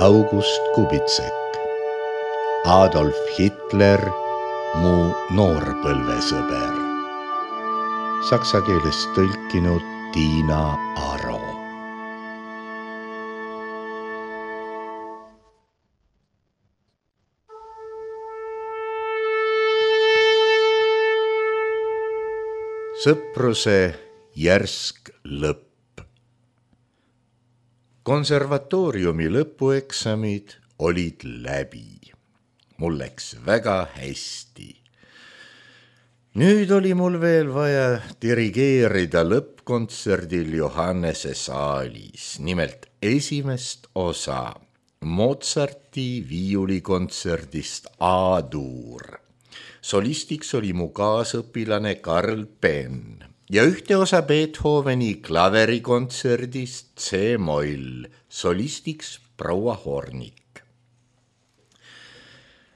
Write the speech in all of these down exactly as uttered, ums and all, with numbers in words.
August Kubitsek, Adolf Hitler, mu noorpõlvesõber. Saksa keelest tõlkinud Tiina Aro. Sõpruse järsk lõpp. Konservatooriumi lõpueksamid olid läbi. Mul läks väga hästi. Nüüd oli mul veel vaja dirigeerida lõppkontserdil Johannese saalis, nimelt esimest osa Mozarti viiulikontserdist A-duur. Solistiks oli mu kaasõpilane Karl Penn ja ühte osa Beethoveni klaverikontserdist C-moll, solistiks proua Hornik.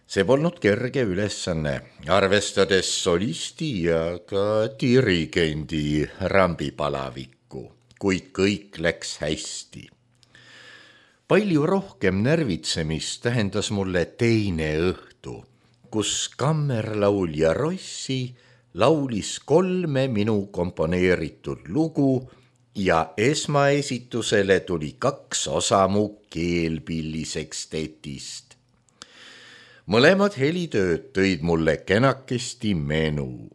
See polnud kerge ülesanne, arvestades solisti ja ka dirigendi rambipalavikku, kuid kõik läks hästi. Palju rohkem närvitsemist tähendas mulle teine õhtu, kus kammerlaulja Rossi laulis kolme minu komponeeritud lugu ja esmaesitusele tuli kaks osa mu keelpillisekstetist. Mõlemad helitööd tõid mulle kenakesti menu.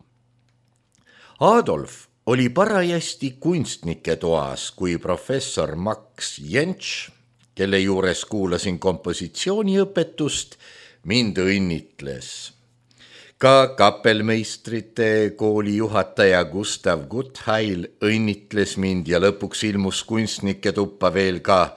Adolf oli parajasti kunstnike toas, kui professor Max Jentsch, kelle juures kuulasin kompositsiooniõpetust, mind õnnitles. Ka kapelmeistrite kooli juhataja Gustav Guttheil õnnitles mind ja lõpuks ilmus kunstnike tuppa veel ka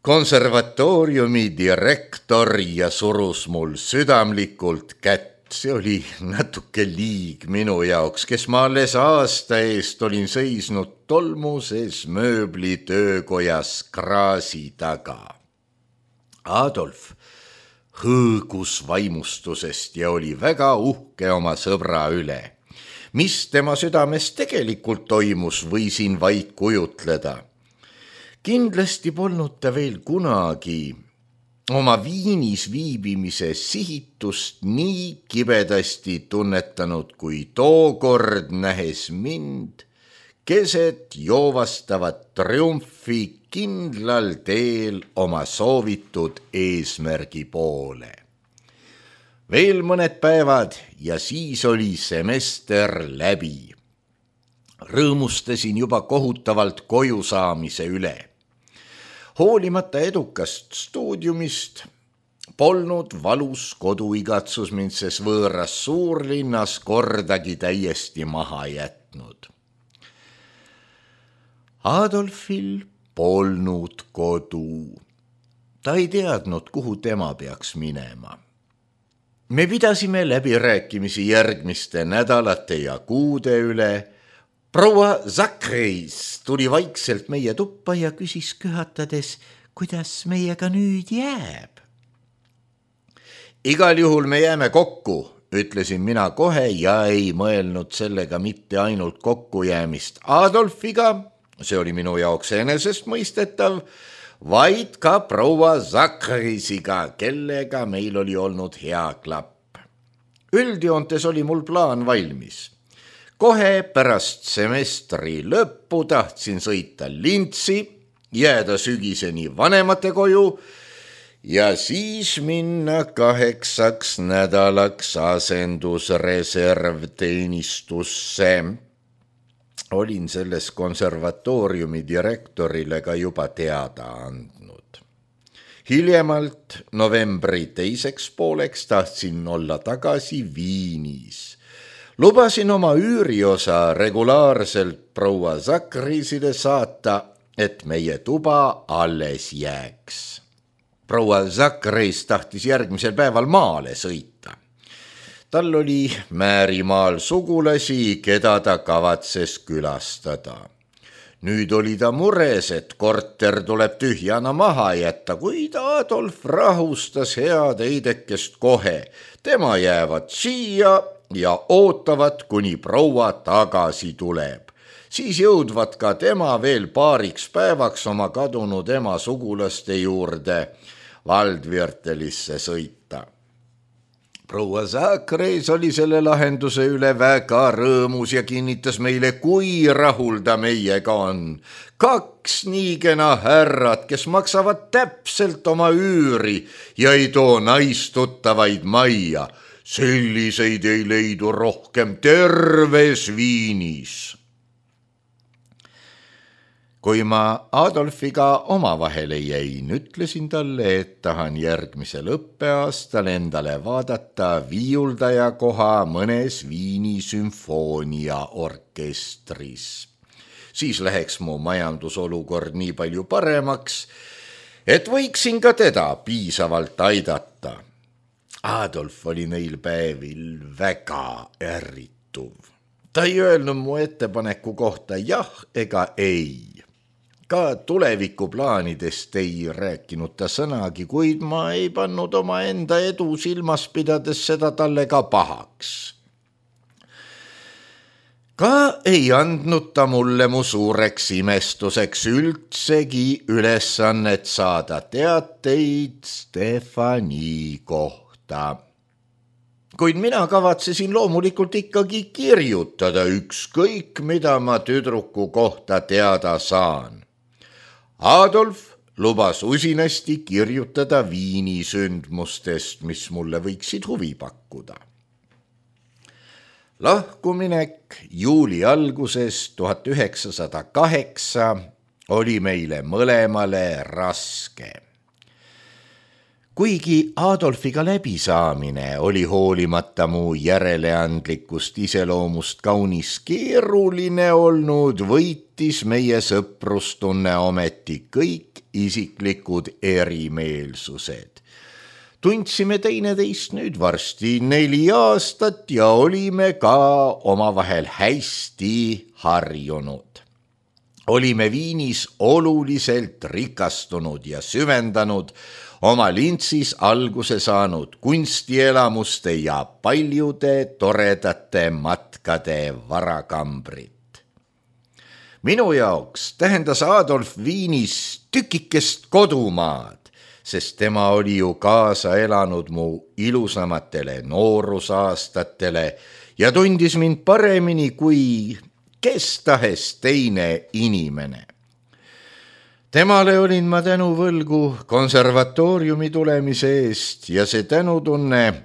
konservatooriumi direktor ja surus mul südamlikult kätt. See oli natuke liig minu jaoks, kes ma alles aasta eest olin seisnud tolmuses mööbli töökojas kraasi taga. Adolf hõõgus vaimustusest ja oli väga uhke oma sõbra üle. Mis tema südames tegelikult toimus, võisin vaid kujutleda. Kindlasti polnud ta veel kunagi oma Viinis viibimise sihitust nii kibedasti tunnetanud, kui tookord nähes mind keset joovastavat triumfi kindlal teel oma soovitud eesmärgi poole. Veel mõned päevad ja siis oli semester läbi. Rõõmustasin juba kohutavalt koju saamise üle. Hoolimata edukast stuudiumist polnud valus koduigatsus mind ses võõras suurlinnas kordagi täiesti maha jätnud. Adolfil polnud kodu. Ta ei teadnud, kuhu tema peaks minema. Me pidasime läbirääkimisi järgmiste nädalate ja kuude üle. Proua Zakreis tuli vaikselt meie tuppa ja küsis köhatades, kuidas meiega nüüd jääb. Igal juhul me jääme kokku, ütlesin mina kohe ja ei mõelnud sellega mitte ainult kokkujäämist Adolfiga, see oli minu jaoks enesestmõistetav, vaid ka proua Zakreisiga, kellega meil oli olnud hea klapp. Üldjoontes oli mul plaan valmis. Kohe pärast semestri lõppu tahtsin sõita Lintsi, jääda sügiseni vanemate koju ja siis minna kaheksaks nädalaks asendusreservteenistusse. Olin selles konservatooriumi direktorile ka juba teada andnud. Hiljemalt novembri teiseks pooleks tahtsin olla tagasi Viinis. Lubasin oma üüriosa regulaarselt proua Zakreisile saata, et meie tuba alles jääks. Proua Zakreis tahtis järgmisel päeval maale sõita. Tal oli Määrimaal sugulasi, keda ta kavatses külastada. Nüüd oli ta mures, et korter tuleb tühjana maha jätta, kuid Adolf rahustas head eidekest kohe. Tema jäävad siia ja ootavad, kuni proua tagasi tuleb. siis jõudvad ka tema veel paariks päevaks oma kadunud ema sugulaste juurde Waldviertelisse sõita. Proua Sakreis oli selle lahenduse üle väga rõõmus ja kinnitas meile, kui rahul ta meiega on. Kaks nii kena härrad, kes maksavad täpselt oma üüri ja ei too naistuttavaid majja. Selliseid ei leidu rohkem terves Viinis. Kui ma Adolfiga omavahele jäin, ütlesin talle, et tahan järgmisel õppeaastal endale vaadata viiuldaja koha mõnes Viini sümfooniaorkestris. Siis läheks mu majandusolukord nii palju paremaks, et võiksin ka teda piisavalt aidata. Adolf oli neil päevil väga ärrituv. Ta ei öelnud mu ettepaneku kohta jah ega ei. Ka tulevikuplaanidest ei rääkinud ta sõnagi, kuid ma ei pannud oma enda edu silmas pidades seda talle ka pahaks. Ka ei andnud ta mulle mu suureks imestuseks üldsegi ülesannet saada teateid Stefani kohta. Kuid mina kavatsesin loomulikult ikkagi kirjutada ükskõik, mida ma tüdruku kohta teada saan. Adolf lubas usinasti kirjutada Viini sündmustest, mis mulle võiksid huvi pakkuda. Lahkuminek juuli alguses tuhat üheksasada kaheksa oli meile mõlemale raske. Kuigi Adolfiga läbisaamine oli hoolimata mu järeleandlikust iseloomust kaunis keeruline olnud, võitis meie sõprustunne ometi kõik isiklikud erimeelsused. Tundsime teineteist nüüd varsti neli aastat ja olime ka omavahel hästi harjunud. Olime Viinis oluliselt rikastunud ja süvendanud oma Lintsis alguse saanud kunstielamuste ja paljude toredate matkade varakambrit. Minu jaoks tähendas Adolf Viinis tükikest kodumaad, sest tema oli ju kaasa elanud mu ilusamatele noorusaastatele ja tundis mind paremini kui kes tahes teine inimene. Temale olin ma tänu võlgu konservatooriumi tulemise eest ja see tänutunne,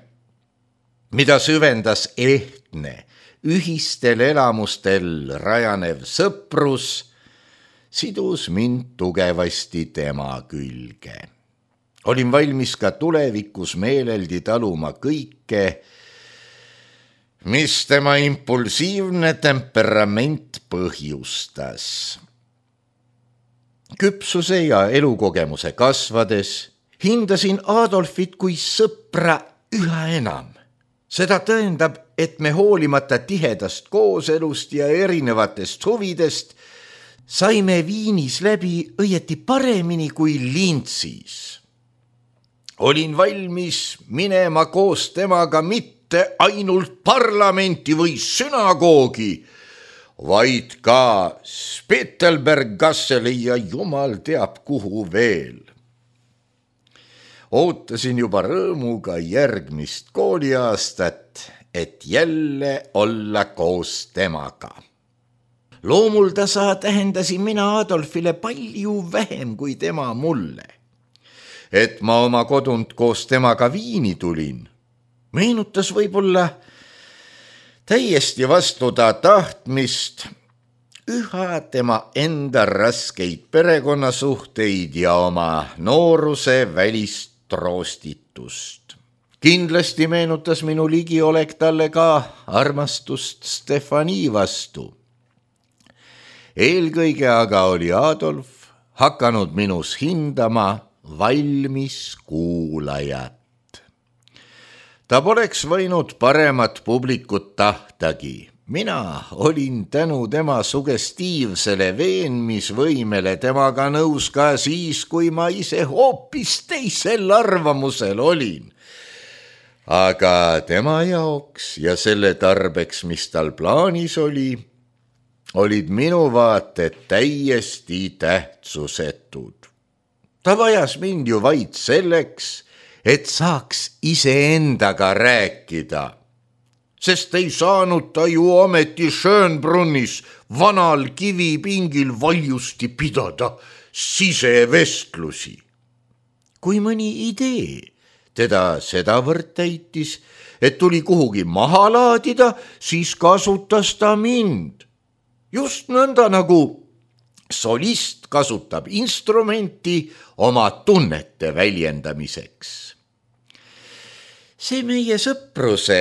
mida süvendas ehtne, ühistel elamustel rajanev sõprus, sidus mind tugevasti tema külge. Olin valmis ka tulevikus meeleldi taluma kõike, mis tema impulsiivne temperament põhjustas. Küpsuse ja elukogemuse kasvades hindasin Adolfit kui sõpra üha enam. Seda tõendab, et me hoolimata tihedast kooselust ja erinevatest huvidest saime Viinis läbi õieti paremini kui Lintsis. Olin valmis minema koos temaga mitte ainult parlamenti või sünagoogi, vaid ka Spittelberg-Gasseli ja jumal teab kuhu veel. Ootasin juba rõõmuga järgmist kooliaastat, et jälle olla koos temaga. Loomultasa tähendasin mina Adolfile palju vähem kui tema mulle. Et ma oma kodunt koos temaga Viini tulin, meenutas võib-olla täiesti vastu ta tahtmist üha tema enda raskeid perekonnasuhteid ja oma nooruse välist troostitust. Kindlasti meenutas minu ligiolek talle ka armastust Stefani vastu. Eelkõige aga oli Adolf hakanud minus hindama valmis kuulajat. Ta poleks võinud paremat publikut tahtagi. Mina olin tänu tema sugestiivsele veenmisvõimele temaga nõus ka siis, kui ma ise hoopis teisel arvamusel olin. Aga tema jaoks ja selle tarbeks, mis tal plaanis oli, olid minu vaated täiesti tähtsusetud. Ta vajas mind ju vaid selleks, et saaks iseendaga rääkida, sest ei saanud ta ju ometi Schönbrunnis vanal kivipingil valjusti pidada sisevestlusi. Kui mõni idee teda sedavõrd täitis, et tuli kuhugi maha laadida, siis kasutas ta mind. Just nõnda nagu solist kasutab instrumenti oma tunnete väljendamiseks. See meie sõpruse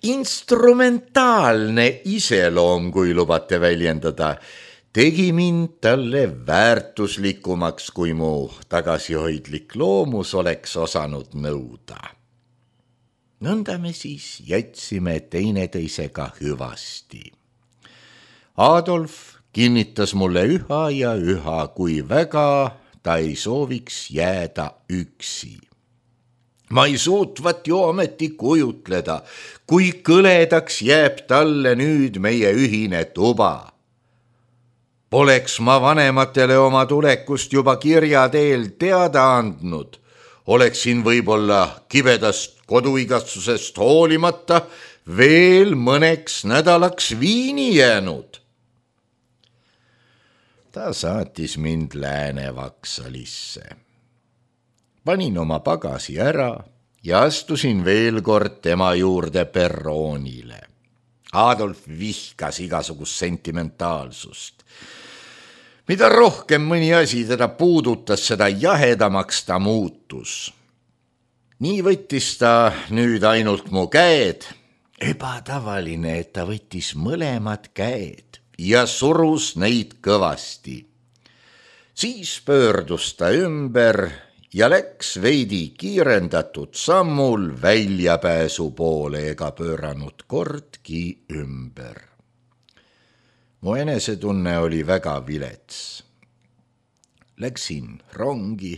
instrumentaalne iseloom, kui lubate väljendada, tegi mind talle väärtuslikumaks, kui mu tagasihoidlik loomus oleks osanud nõuda. Nõnda me siis jätsime teineteisega hüvasti. Adolf kinnitas mulle üha ja üha, kui väga ta ei sooviks jääda üksi. Ma ei suutvat ju ometi kujutleda, kui kõledaks jääb talle nüüd meie ühine tuba. Poleks ma vanematele oma tulekust juba kirja teel teada andnud, oleksin võib-olla kibedast koduigatsusest hoolimata veel mõneks nädalaks Viini jäänud. Ta saatis mind Lääne-Vaksalisse. Panin oma pagasi ära ja astusin veel kord tema juurde perroonile. Adolf vihkas igasugust sentimentaalsust. Mida rohkem mõni asi teda puudutas, seda jahedamaks ta muutus. Nii võttis ta nüüd ainult mu käed. Ebatavaline, et ta võttis mõlemad käed ja surus neid kõvasti. Siis pöördus ta ümber ja läks veidi kiirendatud sammul väljapääsu poole ega pööranud kordki ümber. Mu enesetunne oli väga vilets. Läksin rongi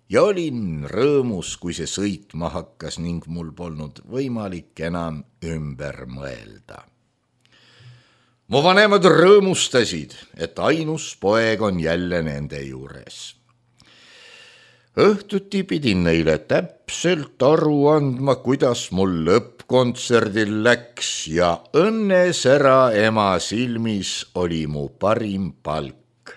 ja olin rõõmus, kui see sõitma hakkas ning mul polnud võimalik enam ümber mõelda. Mu vanemad rõõmustasid, et ainus poeg on jälle nende juures. Õhtuti pidin neile täpselt aru andma, kuidas mul lõppkontserdil läks ja õnnesära ema silmis oli mu parim palk.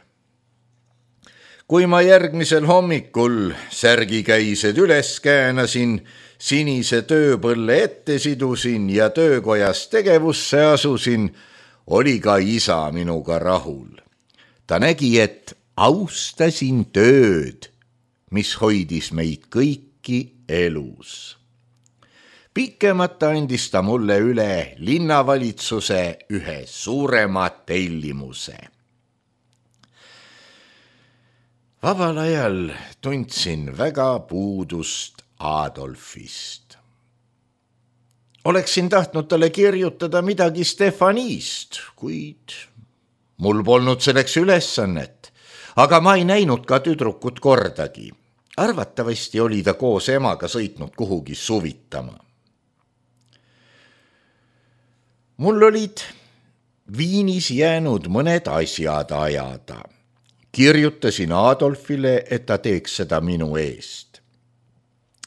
Kui ma järgmisel hommikul särgikäised üles käänasin, sinise tööpõlle ette sidusin ja töökojas tegevusse asusin, oli ka isa minuga rahul. Ta nägi, et austasin tööd, mis hoidis meid kõiki elus. Pikemata andis ta mulle üle linnavalitsuse ühe suurema tellimuse. Vabal ajal tundsin väga puudust Adolfist. Oleksin tahtnud talle kirjutada midagi Stefanist, kuid mul polnud selleks ülesannet, aga ma ei näinud ka tüdrukut kordagi. Arvatavasti oli ta koos emaga sõitnud kuhugi suvitama. Mul olid Viinis jäänud mõned asjad ajada. Kirjutasin Adolfile, et ta teeks seda minu eest.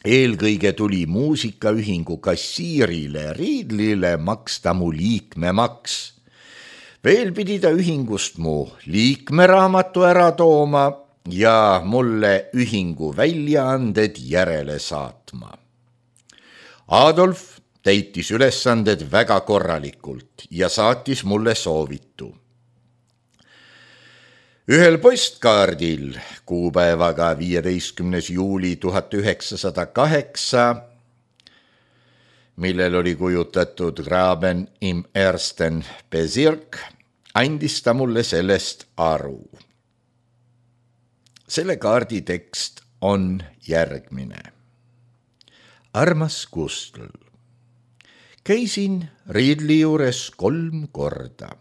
Eelkõige tuli muusikaühingu kassiirile Riidlile maksta mu liikmemaks. Veel pidi ta ühingust mu liikmeraamatu ära tooma ja mulle ühingu väljaanded järele saatma. Adolf täitis ülesanded väga korralikult ja saatis mulle soovitu. Ühel postkaardil kuupäevaga viieteistkümnes juuli tuhat üheksasada kaheksa, millel oli kujutatud Graben im ersten Bezirk, andis ta mulle sellest aru. Selle kaardi tekst on järgmine. Armas Gustl, käisin Riidli juures kolm korda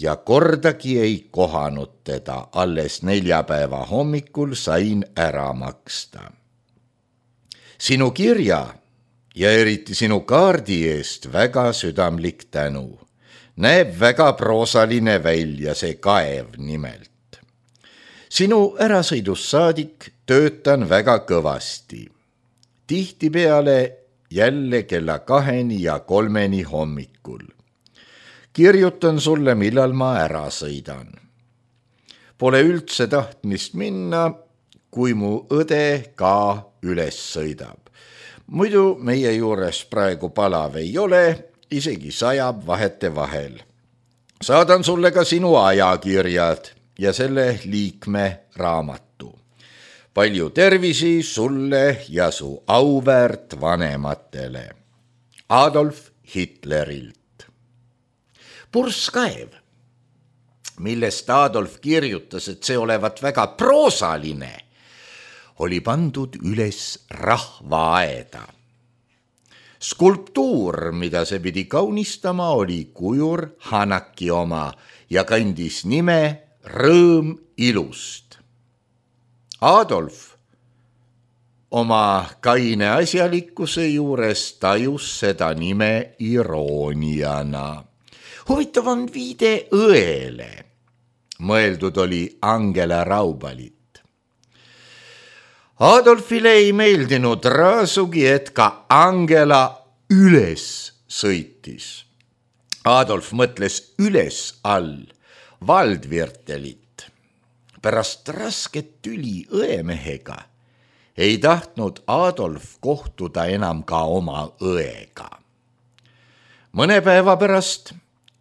ja kordagi ei kohanud teda, alles neljapäeva hommikul sain ära maksta. Sinu kirja ja eriti sinu kaardi eest väga südamlik tänu. Näeb väga proosaline välja see kaev nimelt. Sinu ärasõidust saadik töötan väga kõvasti. Tihtipeale jälle kella kaheni ja kolmeni hommikul. Kirjutan sulle, millal ma ära sõidan. Pole üldse tahtmist minna, kui mu õde ka üles sõidab. Muidu meie juures praegu palav ei ole, isegi sajab vahete vahel. Saadan sulle ka sinu ajakirjad ja selle liikme raamatu. Palju tervisi sulle ja su auväärt vanematele. Adolf Hitlerilt. Purskkaev, millest Adolf kirjutas, et see olevat väga proosaline, oli pandud üles rahvaaeda. Skulptuur, mida see pidi kaunistama, oli kujur Hanaki oma ja kandis nime Rõõm ilust. Adolf oma kaine asjalikkuse juures tajus seda nime irooniana. Huvitav on viide õele. Mõeldud oli Angela Raubalit. Adolfile ei meeldinud raasugi, et ka Angela üles sõitis. Adolf mõtles üles all Waldviertelit. Pärast rasket tüli õemehega ei tahtnud Adolf kohtuda enam ka oma õega. Mõne päeva pärast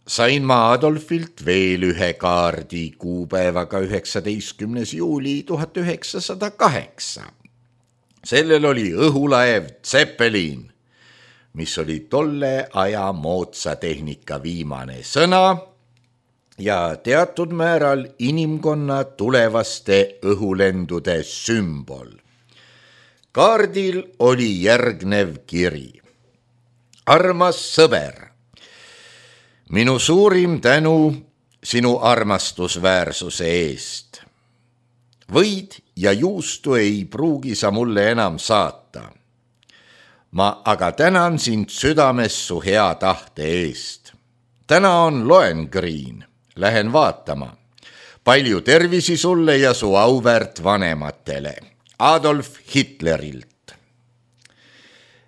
sain ma Adolfilt veel ühe kaardi kuupäevaga üheksateistkümnes juuli tuhat üheksasada kaheksa. Sellel oli õhulaev Zeppelin, mis oli tolle aja moodsa tehnika viimane sõna ja teatud määral inimkonna tulevaste õhulendude sümbol. Kaardil oli järgnev kiri. Armas sõber, minu suurim tänu sinu armastusväärsuse eest. Võid ja juustu ei pruugi sa mulle enam saata. Ma aga tänan sind südames su hea tahte eest. Täna on Lohengrin, lähen vaatama. Palju tervisi sulle ja su auväärt vanematele. Adolf Hitlerilt.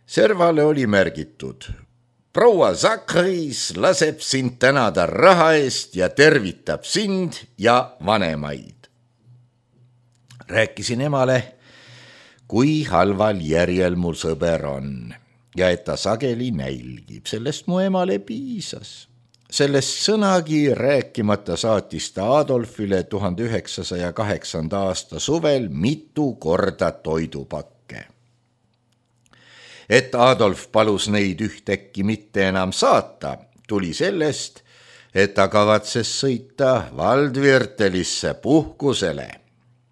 Servale oli märgitud. Proua Zachris laseb sind tänada raha eest ja tervitab sind ja vanemaid. Rääkisin emale, kui halval järjel mul sõber on ja et ta sageli nälgib. Sellest mu emale piisas. Sellest sõnagi rääkimata saatis ta Adolfile tuhande üheksasaja kaheksanda aasta suvel mitu korda toidupakke. Et Adolf palus neid ühtäkki mitte enam saata, tuli sellest, et ta kavatses sõita Waldviertelisse puhkusele,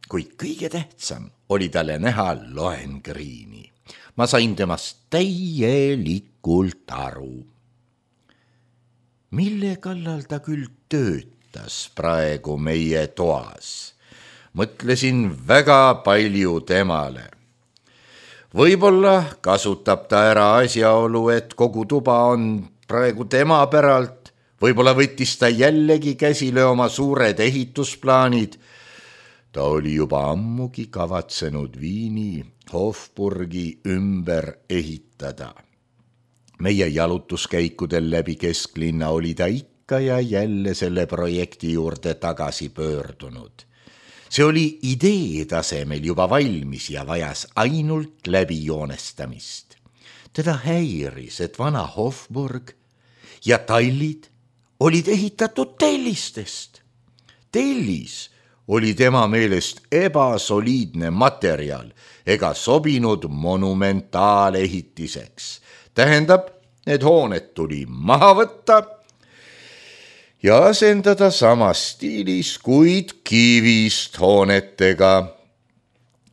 kuid kõige tähtsam oli talle näha Lohengrini. Ma sain temast täielikult aru. Mille kallal ta küll töötas praegu meie toas? Mõtlesin väga palju temale. Võib-olla kasutab ta ära asjaolu, et kogu tuba on praegu tema päralt. Võib-olla võttis ta jällegi käsile oma suured ehitusplaanid. Ta oli juba ammugi kavatsenud Viini Hofburgi ümber ehitada. Meie jalutuskäikudel läbi kesklinna oli ta ikka ja jälle selle projekti juurde tagasi pöördunud. See oli idee tasemel juba valmis ja vajas ainult läbi joonestamist. Teda häiris, et vana Hofburg ja tallid olid ehitatud tellistest. Tellis oli tema meelest ebasoliidne materjal ega sobinud monumentaalehitiseks. Tähendab, need hooned tuli maha võtta ja asendada samas stiilis, kuid kivist hoonetega.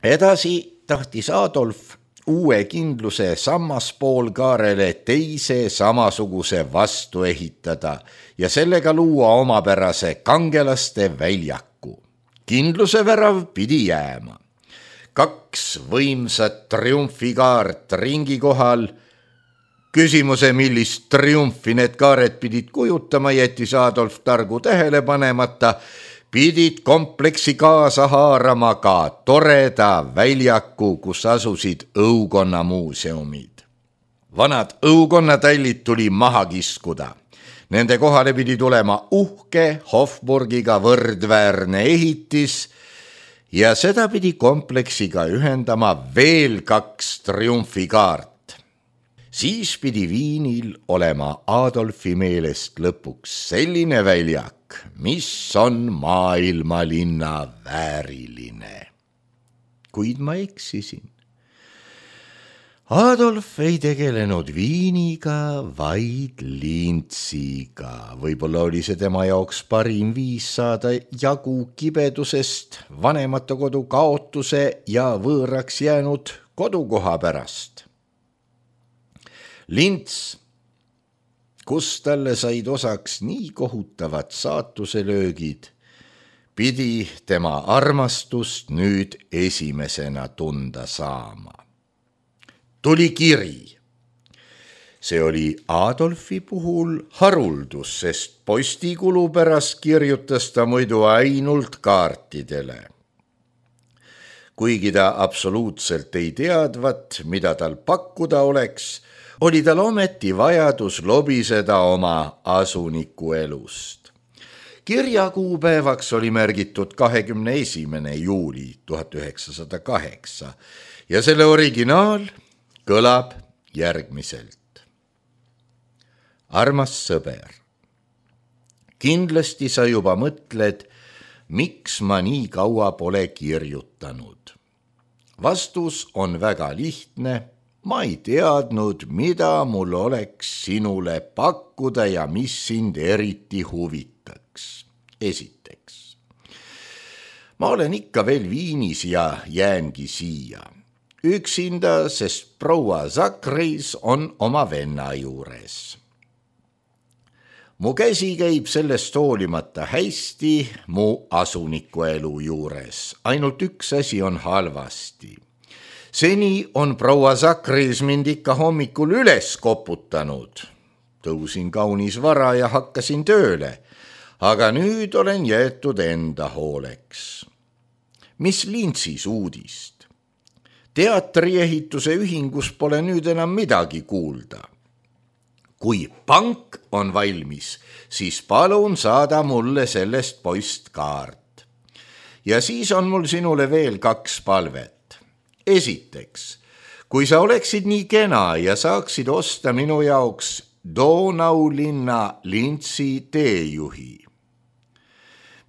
Edasi tahtis Adolf uue kindluse sammaspoolkaarele teise samasuguse vastu ehitada ja sellega luua omapärase kangelaste väljaku. Kindluse värav pidi jääma. Kaks võimsat triumfikaart ringi kohal, Küsimuse, millist triumfi need kaared pidid kujutama, jättis Adolf targu tähele panemata, pidid kompleksi kaasa haarama ka toreda väljaku, kus asusid õukonna muuseumid. Vanad õukonnatallid tuli maha kiskuda. Nende kohale pidi tulema uhke Hofburgiga võrdväärne ehitis ja seda pidi kompleksiga ühendama veel kaks triumfikaart. Siis pidi Viinil olema Adolfi meelest lõpuks selline väljak, mis on maailmalinna vääriline. Kuid ma eksisin. Adolf ei tegelenud Viiniga, vaid Lintsiga. Võib-olla oli see tema jaoks parim viis saada jagu kibedusest, vanemate kodu kaotuse ja võõraks jäänud kodukoha pärast. Lints, kus talle said osaks nii kohutavad saatuselöögid, pidi tema armastust nüüd esimesena tunda saama. Tuli kiri. See oli Adolfi puhul haruldus, sest postikulu pärast kirjutas ta muidu ainult kaartidele. Kuigi ta absoluutselt ei teadvat, mida tal pakkuda oleks, oli tal ometi vajadus lobiseda oma asuniku elust. Kirja kuupäevaks oli märgitud kahekümne esimene juuli tuhat üheksasada kaheksa ja selle originaal kõlab järgmiselt. Armas sõber, kindlasti sa juba mõtled, miks ma nii kaua pole kirjutanud. Vastus on väga lihtne. Ma ei teadnud, mida mul oleks sinule pakkuda ja mis sind eriti huvitaks. Esiteks, ma olen ikka veel Viinis ja jäängi siia. Üksinda, sest proua Zachris on oma venna juures. Mu käsi käib sellest hoolimata hästi mu asuniku elu juures. Ainult üks asi on halvasti. Seni on proua Zachris mind ikka hommikul üles koputanud. Tõusin kaunis vara ja hakkasin tööle, aga nüüd olen jäetud enda hooleks. Mis Lintsis uudist? Teatriehituse ühingus pole nüüd enam midagi kuulda. Kui pank on valmis, siis palun saada mulle sellest postkaart. Ja siis on mul sinule veel kaks palvet. Esiteks, kui sa oleksid nii kena ja saaksid osta minu jaoks Donau linna Lintsi teejuhi.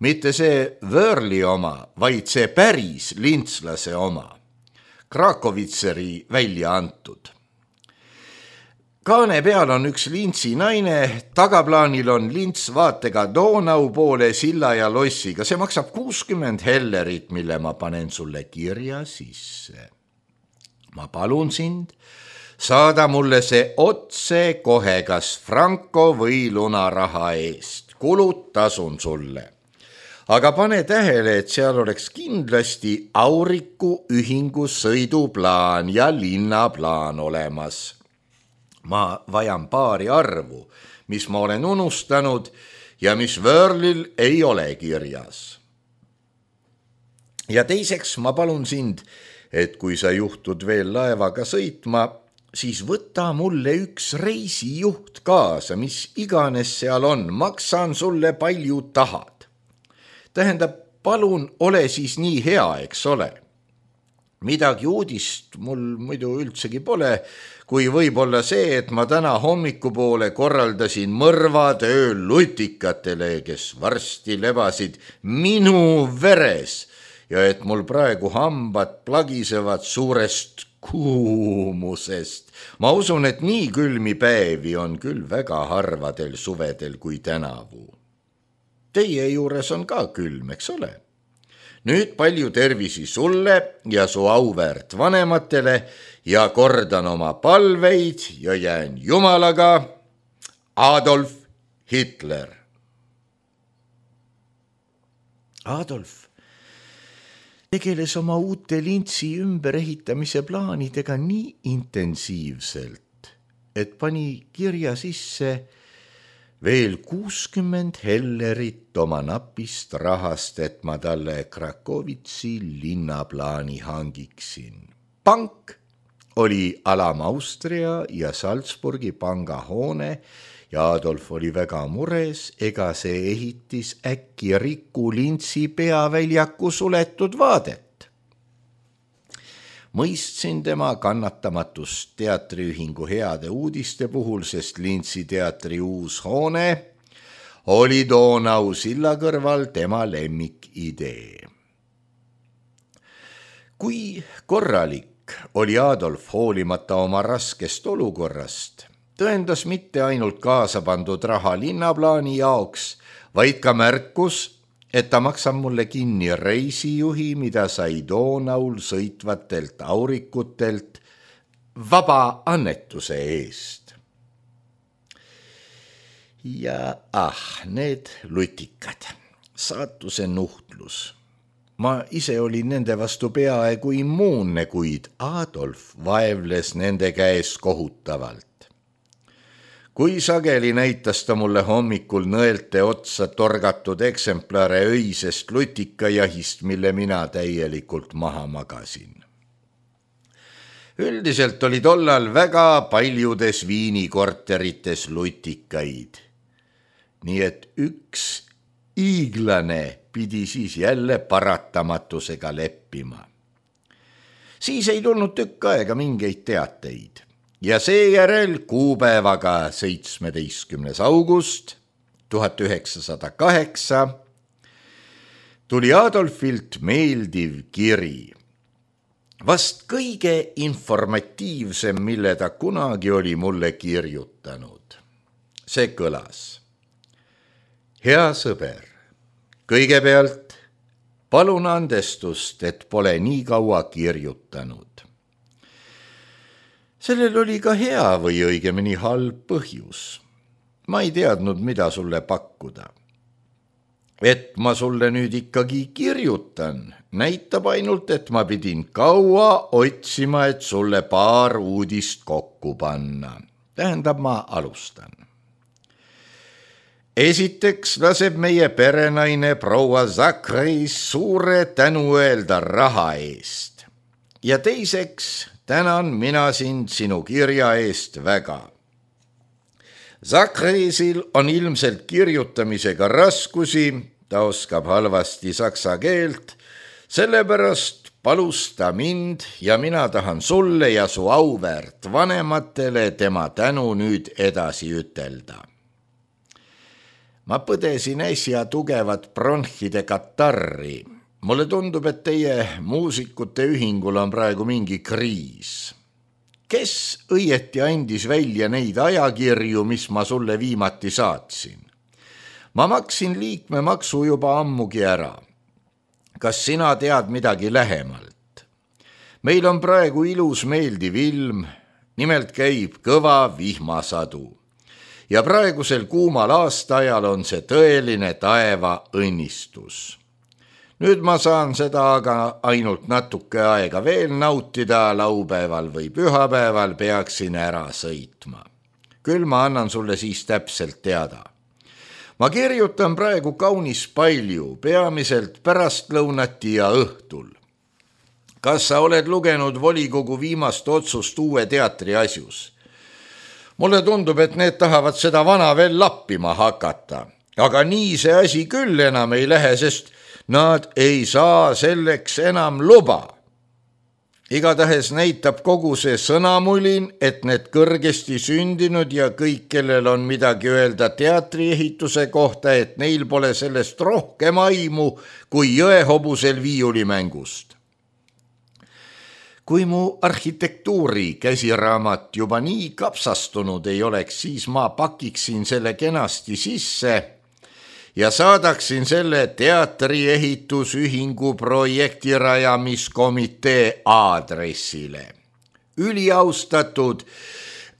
Mitte see Wörli oma, vaid see päris lintslase oma. Krakovitseri välja antud. Kaane peal on üks Lintsi naine, tagaplaanil on Lints vaatega Donau poole silla ja lossiga. See maksab kuuskümmend hellerit, mille ma panen sulle kirja sisse. Ma palun sind, saada mulle see otse kohe kas franko või lunaraha eest. Kulud tasun sulle. Aga pane tähele, et seal oleks kindlasti Auriku ühingu sõiduplaan ja linnaplaan olemas. Ma vajan paari arvu, mis ma olen unustanud ja mis Wörlil ei ole kirjas. Ja teiseks ma palun sind, et kui sa juhtud veel laevaga sõitma, siis võta mulle üks reisijuht kaasa, mis iganes seal on, maksan sulle palju tahad. Tähendab, palun ole siis nii hea, eks ole. Midagi uudist mul muidu üldsegi pole, kui võib-olla see, et ma täna hommikupoole korraldasin mõrvad ööl lutikatele, kes varsti lebasid minu veres ja et mul praegu hambad plagisevad suurest kuumusest. Ma usun, et nii külmi päevi on küll väga harvadel suvedel kui tänavu. Teie juures on ka külm, eks ole? Nüüd palju tervisi sulle ja su auväärt vanematele ja kordan oma palveid ja jään Jumalaga. Adolf Hitler. Adolf tegeles oma uute Lintsi ümberehitamise plaanidega nii intensiivselt, et pani kirja sisse veel kuuskümmend hellerit oma napist rahast, et ma talle Krakowitsi linnaplaani hangiksin. Pank oli Alam Austria ja Salzburgi pangahoone ja Adolf oli väga mures, ega see ehitis äkki Riku Lintsi peaväljaku suletud vaadet. Mõistsin tema kannatamatust teatriühingu heade uudiste puhul, sest Lintsi teatri uus hoone oli Donau silla kõrval tema lemmikidee. Kui korralik oli Adolf hoolimata oma raskest olukorrast, tõendas mitte ainult kaasa pandud raha linnaplaani jaoks, vaid ka märkus, et ta maksab mulle kinni reisijuhi, mida sai Donaul sõitvatelt aurikutelt vaba annetuse eest. Ja ah, need lutikad, saatuse nuhtlus. Ma ise olin nende vastu peaaegu immuunne, kuid Adolf vaevles nende käes kohutavalt. Kui sageli näitas ta mulle hommikul nõelte otsa torgatud eksemplare öisest lutikajahist, mille mina täielikult maha magasin. Üldiselt oli tollal väga paljudes Viini korterites lutikaid. Nii et üks iiglane pidi siis jälle paratamatusega leppima. Siis ei tulnud tükk aega mingeid teateid. Ja seejärel kuupäevaga seitsmeteistkümnes august tuhat üheksasada kaheksa tuli Adolfilt meeldiv kiri. Vast kõige informatiivsem, mille ta kunagi oli mulle kirjutanud. See kõlas. Hea sõber, kõigepealt palun andestust, et pole nii kaua kirjutanud. Sellel oli ka hea või õigemini halb põhjus. Ma ei teadnud, mida sulle pakkuda. Et ma sulle nüüd ikkagi kirjutan, näitab ainult, et ma pidin kaua otsima, et sulle paar uudist kokku panna. Tähendab, ma alustan. Esiteks laseb meie perenaine proua Zakreis suure tänu öelda raha eest. Ja teiseks tänan mina sind sinu kirja eest väga. Zakreisil on ilmselt kirjutamisega raskusi, ta oskab halvasti saksa keelt, sellepärast palus ta mind ja mina tahan sulle ja su auväärt vanematele tema tänu nüüd edasi ütelda. Ma põdesin äsja tugevat bronhide katarri. Mulle tundub, et teie muusikute ühingul on praegu mingi kriis. Kes õieti andis välja neid ajakirju, mis ma sulle viimati saatsin? Ma maksin liikmemaksu juba ammugi ära. Kas sina tead midagi lähemalt? Meil on praegu ilus meeldiv ilm, nimelt käib kõva vihmasadu. Ja praegusel kuumal aastaajal on see tõeline taeva õnnistus. Nüüd ma saan seda aga ainult natuke aega veel nautida, laupäeval või pühapäeval peaksin ära sõitma. Küll ma annan sulle siis täpselt teada. Ma kirjutan praegu kaunis palju, peamiselt pärastlõunati ja õhtul. Kas sa oled lugenud volikogu viimast otsust uue teatri asjus? Mulle tundub, et need tahavad seda vana veel lappima hakata. Aga nii see asi küll enam ei lähe, sest nad ei saa selleks enam luba. Igatahes näitab kogu see sõnamulin, et need kõrgesti sündinud ja kõik, kellel on midagi öelda teatriehituse kohta, et neil pole sellest rohkem aimu kui jõehobusel viiulimängust. Kui mu arhitektuuri käsiraamat juba nii kapsastunud ei oleks, siis ma pakiksin selle kenasti sisse ja saadaksin selle teatriehitusühingu projektirajamiskomitee aadressile. Üliaustatud,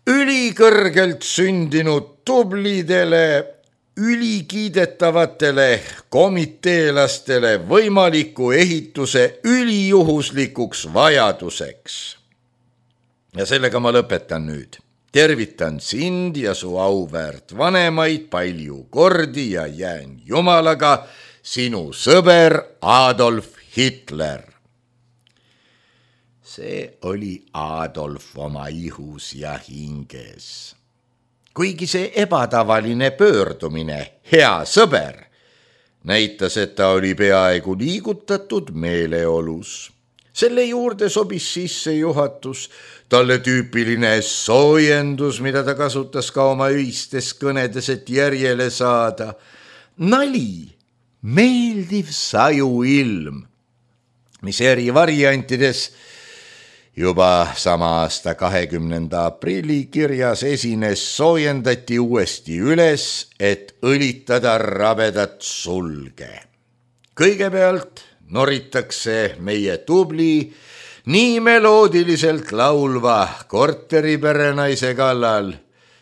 ülikõrgelt sündinud tublidele, ülikiidetavatele komiteelastele võimaliku ehituse ülijuhuslikuks vajaduseks. Ja sellega ma lõpetan nüüd. tervitan sind ja su auväärt vanemaid palju kordi ja jään jumalaga sinu sõber Adolf Hitler. See oli Adolf oma ihus ja hinges. Kuigi see ebatavaline pöördumine, hea sõber, näitas, et ta oli peaaegu liigutatud meeleolus. Selle juurde sobis sisse juhatus, talle tüüpiline soojendus, mida ta kasutas ka oma öistes kõnedes, et järjele saada. Nali, meeldiv sajuilm, mis eri variantides juba sama aasta kahekümnenda aprilli kirjas esines, soojendati uuesti üles, et õlitada rabedat sulge. Kõigepealt noritakse meie tubli, nii meloodiliselt laulva korteriperenaise kallal,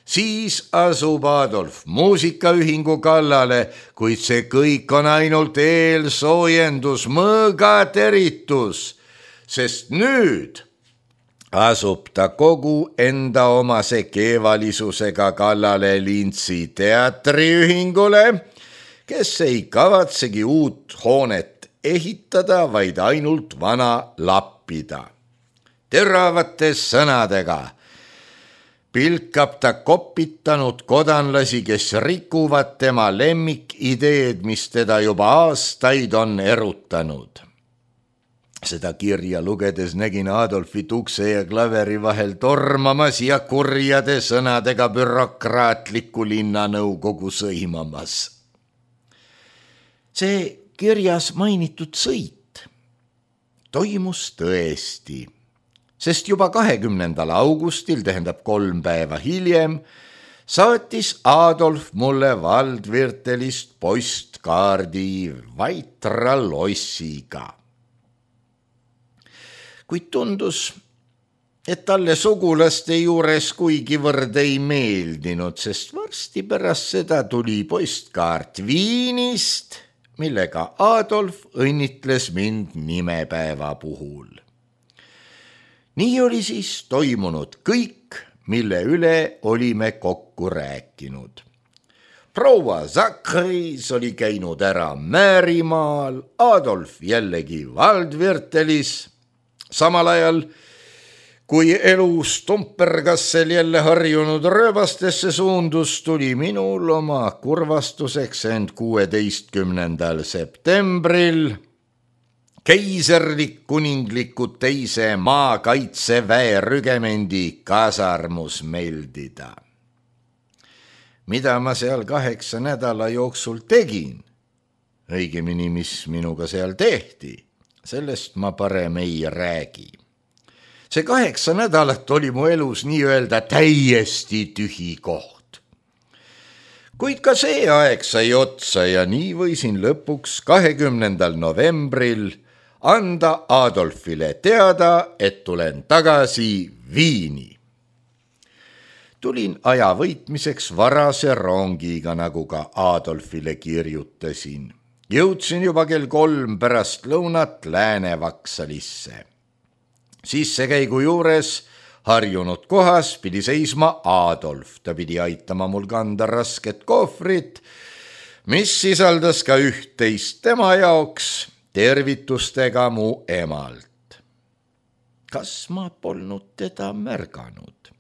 siis asub Adolf muusikaühingu kallale, kuid see kõik on ainult eelsoojendus, mõõgateritus, sest nüüd asub ta kogu enda omase keevalisusega kallale Lintsi teatriühingule, kes ei kavatsegi uut hoonet ehitada, vaid ainult vana lappida. Teravate sõnadega pilkab ta kopitanud kodanlasi, kes rikuvad tema lemmikideed, mis teda juba aastaid on erutanud. Seda kirja lugedes nägin Adolfit ukse ja klaveri vahel tormamas ja kurjade sõnadega bürokraatliku linnanõukogu sõimamas. See kirjas mainitud sõit toimus tõesti, sest juba kahekümnendal augustil, tähendab kolm päeva hiljem, saatis Adolf mulle Waldviertelist postkaardi Vaitra lossiga. Kuid tundus, et talle sugulaste juures kuigivõrd ei meeldinud, sest varsti pärast seda tuli postkaart Viinist, millega Adolf õnnitles mind nimepäeva puhul. Nii oli siis toimunud kõik, mille üle olime kokku rääkinud. Proua Zachris oli käinud ära Määrimaal, Adolf jällegi Waldviertelis. Samal ajal, kui elu Stumpergassel jälle harjunud rööbastesse suundus, tuli minul oma kurvastuseks end kuueteistkümnendal septembril keiserlik kuningliku teise maakaitseväe rügemendi kasarmus meldida. Mida ma seal kaheksa nädala jooksul tegin, õigemini mis minuga seal tehti, sellest ma parem ei räägi. See kaheksa nädalat oli mu elus nii-öelda täiesti tühi koht. Kuid ka see aeg sai otsa ja nii võisin lõpuks kahekümnendal novembril anda Adolfile teada, et tulen tagasi Viini. Tulin aja võitmiseks varase rongiga, nagu ka Adolfile kirjutasin. Jõudsin juba kell kolm pärast lõunat Lääne-Vaksalisse. Sissekäigu juures harjunud kohas pidi seisma Adolf. Ta pidi aitama mul kanda rasket kohvrit, mis sisaldas ka üht-teist tema jaoks, tervitustega mu emalt. Kas ma polnud teda märganud?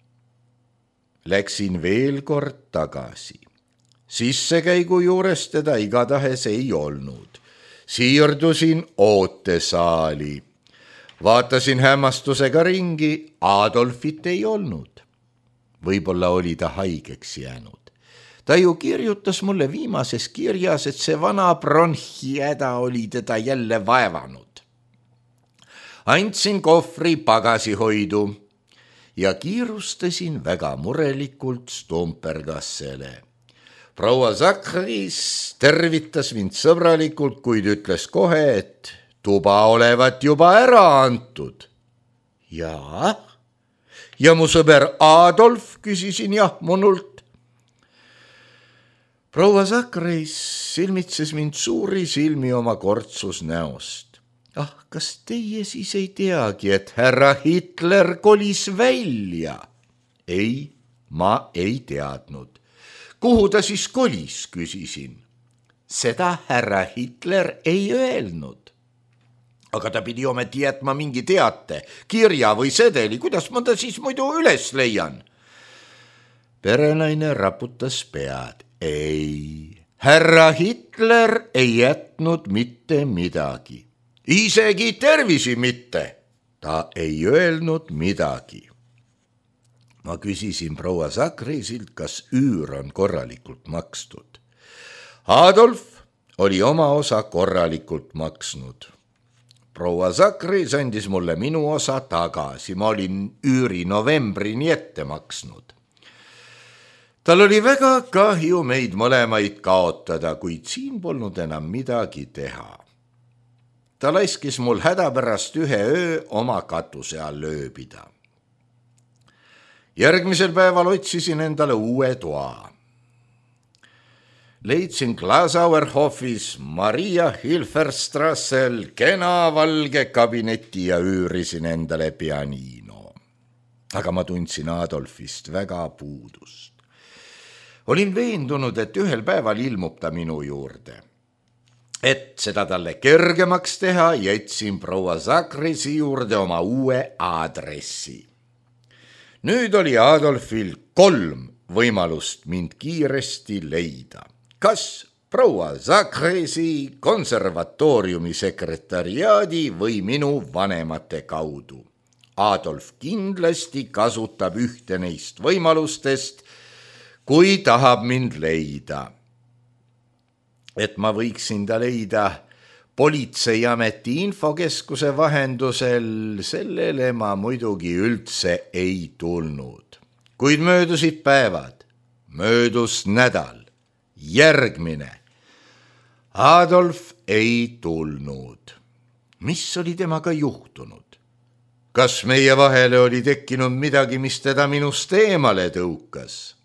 Läksin veel kord tagasi. Sissekäigu juures teda igatahes ei olnud. Siirdusin ootesaali. Vaatasin hämmastusega ringi, Adolfit ei olnud. Võib-olla oli ta haigeks jäänud. Ta ju kirjutas mulle viimases kirjas, et see vana bronhihäda oli teda jälle vaevanud. Andsin kohvri pagasihoidu ja kiirustasin väga murelikult Stumpergassele. Proua Zachris tervitas mind sõbralikult, kuid ütles kohe, et tuba olevat juba ära antud. Jaa, ja mu sõber Adolf, küsisin jahmunult. Proua Zachris silmitses mind suuri silmi oma kortsus näost. Ah, kas teie siis ei teagi, et härra Hitler kolis välja? Ei, ma ei teadnud. Kuhu ta siis kolis, küsisin. Seda härra Hitler ei öelnud. Aga ta pidi ometi jätma mingi teate, kirja või sedeli, kuidas ma ta siis muidu üles leian? Perenaine raputas pead. Ei, härra Hitler ei jätnud mitte midagi. Isegi tervisi mitte. Ta ei öelnud midagi. Ma küsisin proua Sakrisilt, kas üür on korralikult makstud. Adolf oli oma osa korralikult maksnud. Proua Sakris andis mulle minu osa tagasi. Ma olin üüri novembrini ette maksnud. Tal oli väga kahju meid mõlemaid kaotada, kuid siin polnud enam midagi teha. Ta laiskis mul hädapärast ühe öö oma katuse all ööbida. Järgmisel päeval otsisin endale uue toa. Leidsin Glasauerhofis Maria Hilferstrassel kena valge kabineti ja üürisin endale pianiino. Aga ma tundsin Adolfist väga puudust. Olin veendunud, et ühel päeval ilmub ta minu juurde. Et seda talle kergemaks teha, jätsin proua Sakrisi juurde oma uue aadressi. Nüüd oli Adolfil kolm võimalust mind kiiresti leida. Kas proua Sakrisi konservatooriumi sekretariaadi või minu vanemate kaudu. Adolf kindlasti kasutab ühte neist võimalustest, kui tahab mind leida. Et ma võiksin ta leida politseiameti infokeskuse vahendusel, sellele ma muidugi üldse ei tulnud. Kuid möödusid päevad, möödus nädal, järgmine. Adolf ei tulnud. Mis oli temaga juhtunud? Kas meie vahele oli tekkinud midagi, mis teda minust eemale tõukas?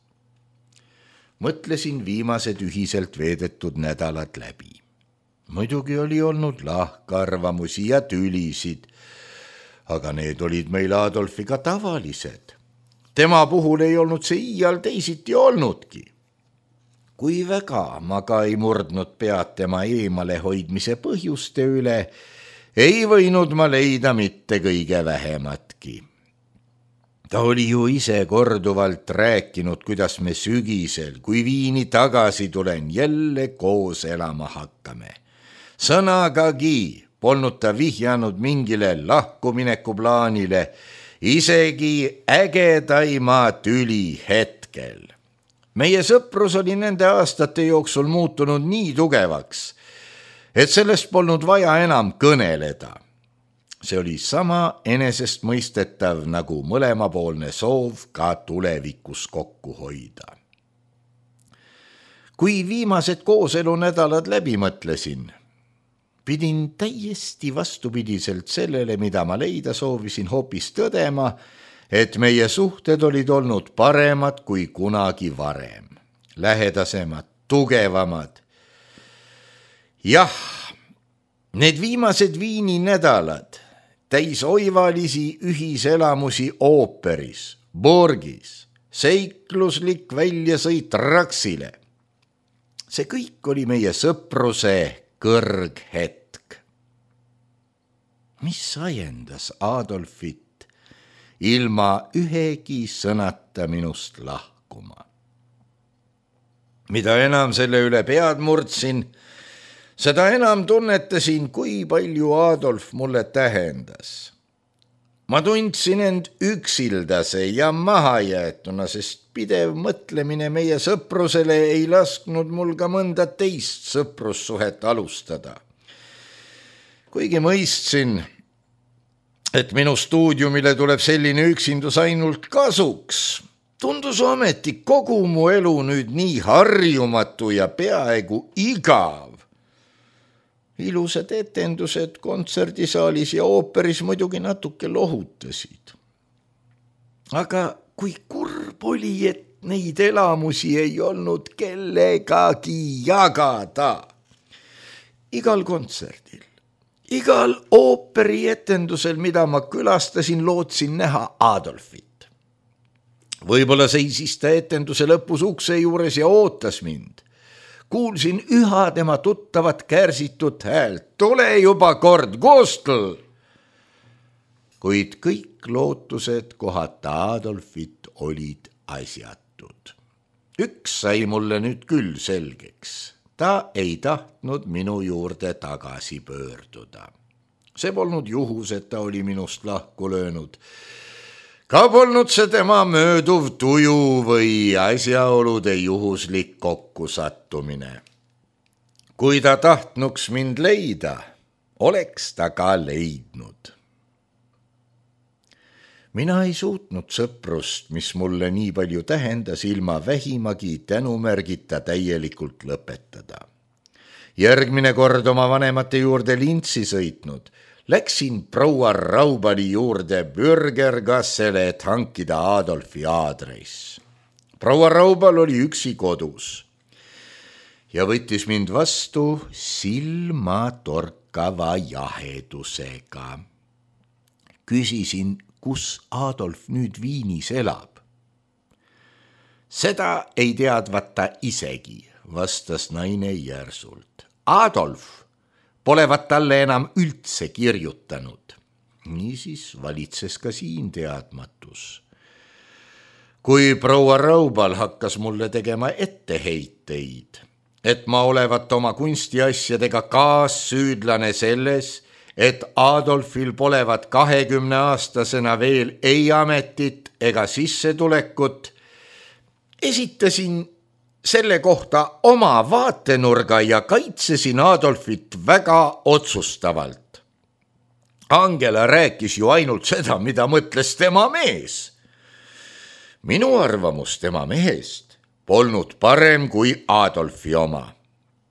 Mõtlesin viimased ühiselt veedetud nädalad läbi. Muidugi oli olnud lahkarvamusi ja tülisid, aga need olid meil Adolfiga tavalised. Tema puhul ei olnud see iial teisiti olnudki. Kui väga ma ka ei murdnud pead tema eemale hoidmise põhjuste üle, ei võinud ma leida mitte kõige vähematki. Ta oli ju ise korduvalt rääkinud, kuidas me sügisel, kui Viini tagasi tulen, jälle koos elama hakkame. Sõnagagi polnud ta vihjanud mingile lahkumineku plaanile, isegi ägedaima tüli hetkel. Meie sõprus oli nende aastate jooksul muutunud nii tugevaks, et sellest polnud vaja enam kõneleda. See oli sama enesestmõistetav nagu mõlemapoolne soov ka tulevikus kokku hoida. Kui viimased kooselunädalad läbi mõtlesin, pidin täiesti vastupidiselt sellele, mida ma leida soovisin, hoopis tõdema, et meie suhted olid olnud paremad kui kunagi varem. Lähedasemad, tugevamad. Jah, need viimased Viini nädalad täis oivalisi ühiselamusi ooperis, Borgis, seikluslik väljasõit Raksile. See kõik oli meie sõpruse kõrghetk. Mis ajendas Adolfit ilma ühegi sõnata minust lahkuma? Mida enam selle üle pead murdsin, seda enam tunnetasin, kui palju Adolf mulle tähendas. Ma tundsin end üksildase ja mahajäetuna, sest pidev mõtlemine meie sõprusele ei lasknud mul ka mõnda teist sõprussuhet alustada. Kuigi mõistsin, et minu stuudiumile tuleb selline üksindus ainult kasuks, tundus ometi kogu mu elu nüüd nii harjumatu ja peaaegu igav. Ilusad etendused kontserdisaalis ja ooperis muidugi natuke lohutasid. Aga kui kurb oli, et neid elamusi ei olnud kellegagi jagada. Igal kontserdil, igal ooperi etendusel, mida ma külastasin, lootsin näha Adolfit. Võib-olla seisis ta etenduse lõpus ukse juures ja ootas mind. Kuulsin üha tema tuttavat kärsitud häält. Tule juba kord, Koostel! Kuid kõik lootused kohata Adolfit olid asjatud. Üks sai mulle nüüd küll selgeks. Ta ei tahtnud minu juurde tagasi pöörduda. See polnud juhus, et ta oli minust lahku löönud. Ka polnud see tema mööduv tuju või asjaolude juhuslik kokkusattumine. Kui ta tahtnuks mind leida, oleks ta ka leidnud. Mina ei suutnud sõprust, mis mulle nii palju tähendas, ilma vähimagi tänumärgita täielikult lõpetada. Järgmine kord oma vanemate juurde Lintsi sõitnud, läksin proua Raubali juurde Bürgergassele, et hankida Adolfi aadress. Proua Raubal oli üksi kodus ja võttis mind vastu silmatorkava jahedusega. Küsisin, kus Adolf nüüd Viinis elab. Seda ei teadvata isegi, vastas naine järsult. Adolf polevat talle enam üldse kirjutanud. Niisiis valitses ka siin teadmatus. Kui proua Raubal hakkas mulle tegema etteheiteid, et ma olevat oma kunstiasjadega kaassüüdlane selles, et Adolfil polevat kahekümne aastasena veel ei ametit ega sissetulekut, esitasin selle kohta oma vaatenurga ja kaitsesin Adolfit väga otsustavalt. Angela rääkis ju ainult seda, mida mõtles tema mees. Minu arvamus tema mehest polnud parem kui Adolfi oma.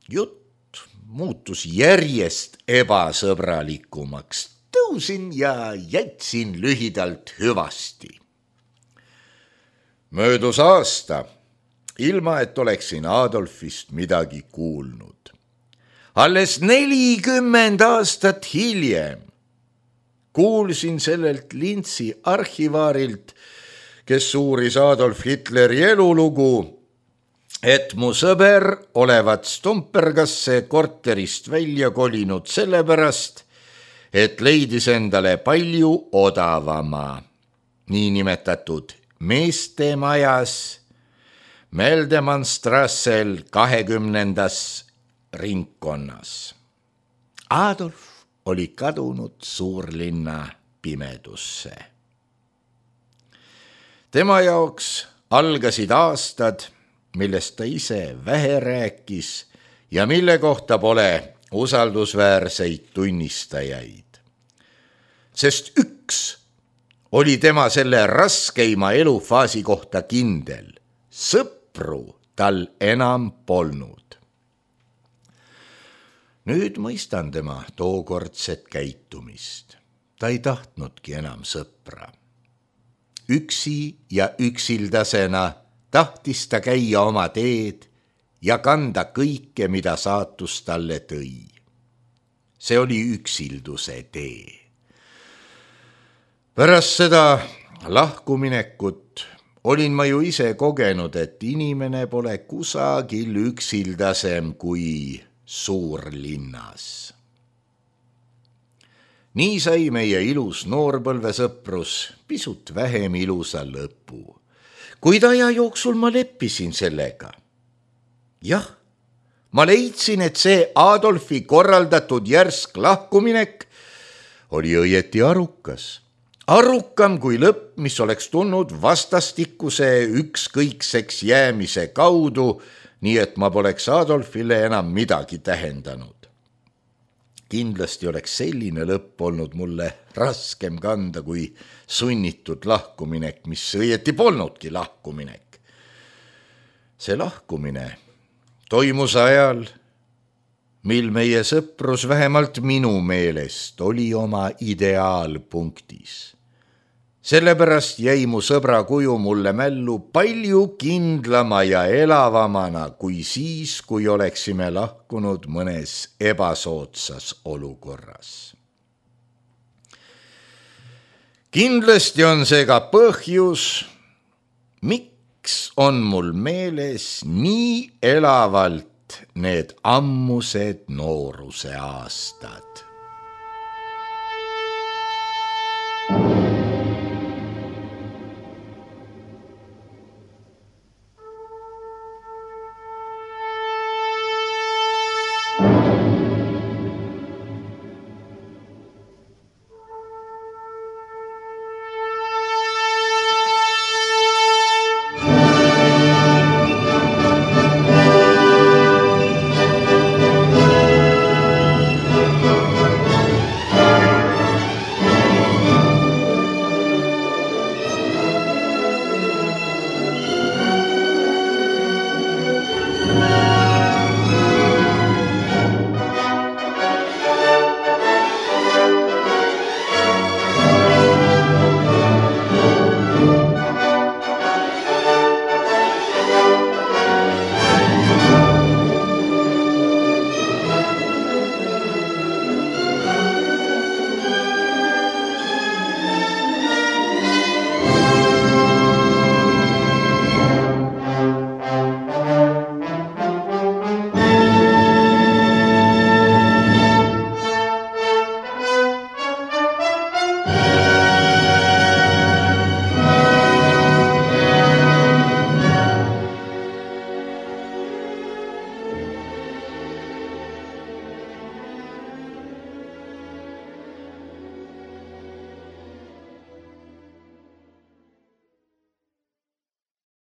Jutt muutus järjest ebasõbralikumaks. Tõusin ja jätsin lühidalt hüvasti. Möödus aasta, ilma et oleksin Adolfist midagi kuulnud. Alles nelikümmend aastat hiljem kuulsin sellelt Lintsi arhivaarilt, kes uuris Adolf Hitleri elulugu, et mu sõber olevat Stumpergasse korterist välja kolinud sellepärast, et leidis endale palju odavama, niinimetatud meestemajas Meldemannstrassel kahekümnendas ringkonnas. Adolf oli kadunud suurlinna pimedusse. Tema jaoks algasid aastad, millest ta ise vähe rääkis ja mille kohta pole usaldusväärseid tunnistajaid. Sest üks oli tema selle raskeima elufaasi kohta kindel. Sõpru tal enam polnud. Nüüd mõistan tema tookordset käitumist. Ta ei tahtnudki enam sõpra. Üksi ja üksildasena tahtis ta käia oma teed ja kanda kõike, mida saatus talle tõi. See oli üksilduse tee. Pärast seda lahkuminekut olin ma ju ise kogenud, et inimene pole kusagil üksildasem kui suurlinnas. Nii sai meie ilus noorpõlvesõprus pisut vähem ilusa lõpu. Kuid aja jooksul ma leppisin sellega. Jah, ma leidsin, et see Adolfi korraldatud järsk lahkuminek oli õieti arukas. Arukam kui lõpp, mis oleks tulnud vastastikuse ükskõikseks jäämise kaudu, nii et ma poleks Adolfile enam midagi tähendanud. Kindlasti oleks selline lõpp olnud mulle raskem kanda kui sunnitud lahkuminek, mis õieti polnudki lahkuminek. See lahkumine toimus ajal, mil meie sõprus vähemalt minu meelest oli oma ideaalpunktis. Sellepärast jäi mu sõbra kuju mulle mällu palju kindlama ja elavamana kui siis, kui oleksime lahkunud mõnes ebasootsas olukorras. Kindlasti on see ka põhjus, miks on mul meeles nii elavalt need ammused nooruse aastad?